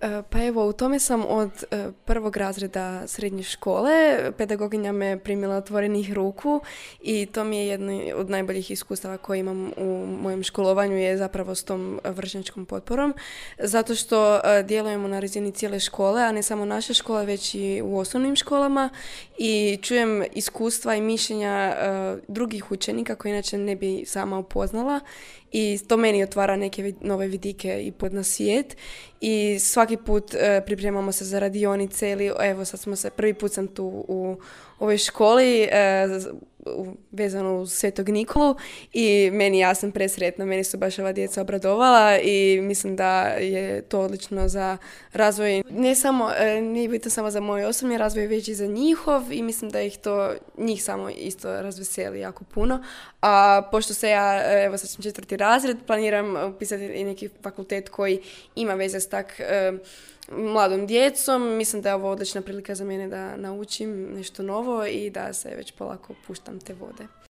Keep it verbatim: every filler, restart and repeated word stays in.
E, Pa evo, u tome sam od e, prvog razreda srednje škole. Pedagoginja me primila otvorenih ruku i to mi je jedno od najboljih iskustava koje imam u mojem školovanju je zapravo s tom vršnjačkom potporom. Zato što e, djelujemo na razini cijele škole, a ne samo naše škole, već i u osnovnim školama i čujem iskustva i mišljenja e, drugih učenika koje inače ne bi sama upoznala i to meni otvara neke vid- nove vidike i pod na svijet i svaki put e, pripremamo se za radionice ili evo sad smo se, prvi put sam tu u ovoj školi e, z- u- vezano uz Svetog Nikolu i meni, ja sam presretna, meni su baš ova djeca obradovala i mislim da je to odlično za razvoj, ne samo, e, nije bitno samo za moj osobni razvoj, već i za njihov i mislim da ih to, njih samo isto razveseli jako puno. A pošto se ja, e, evo sad sam četvrti razred, planiram upisati i neki fakultet koji ima veze s tak e, mladom djecom. Mislim da je ovo odlična prilika za mene da naučim nešto novo i da se već polako puštam te vode.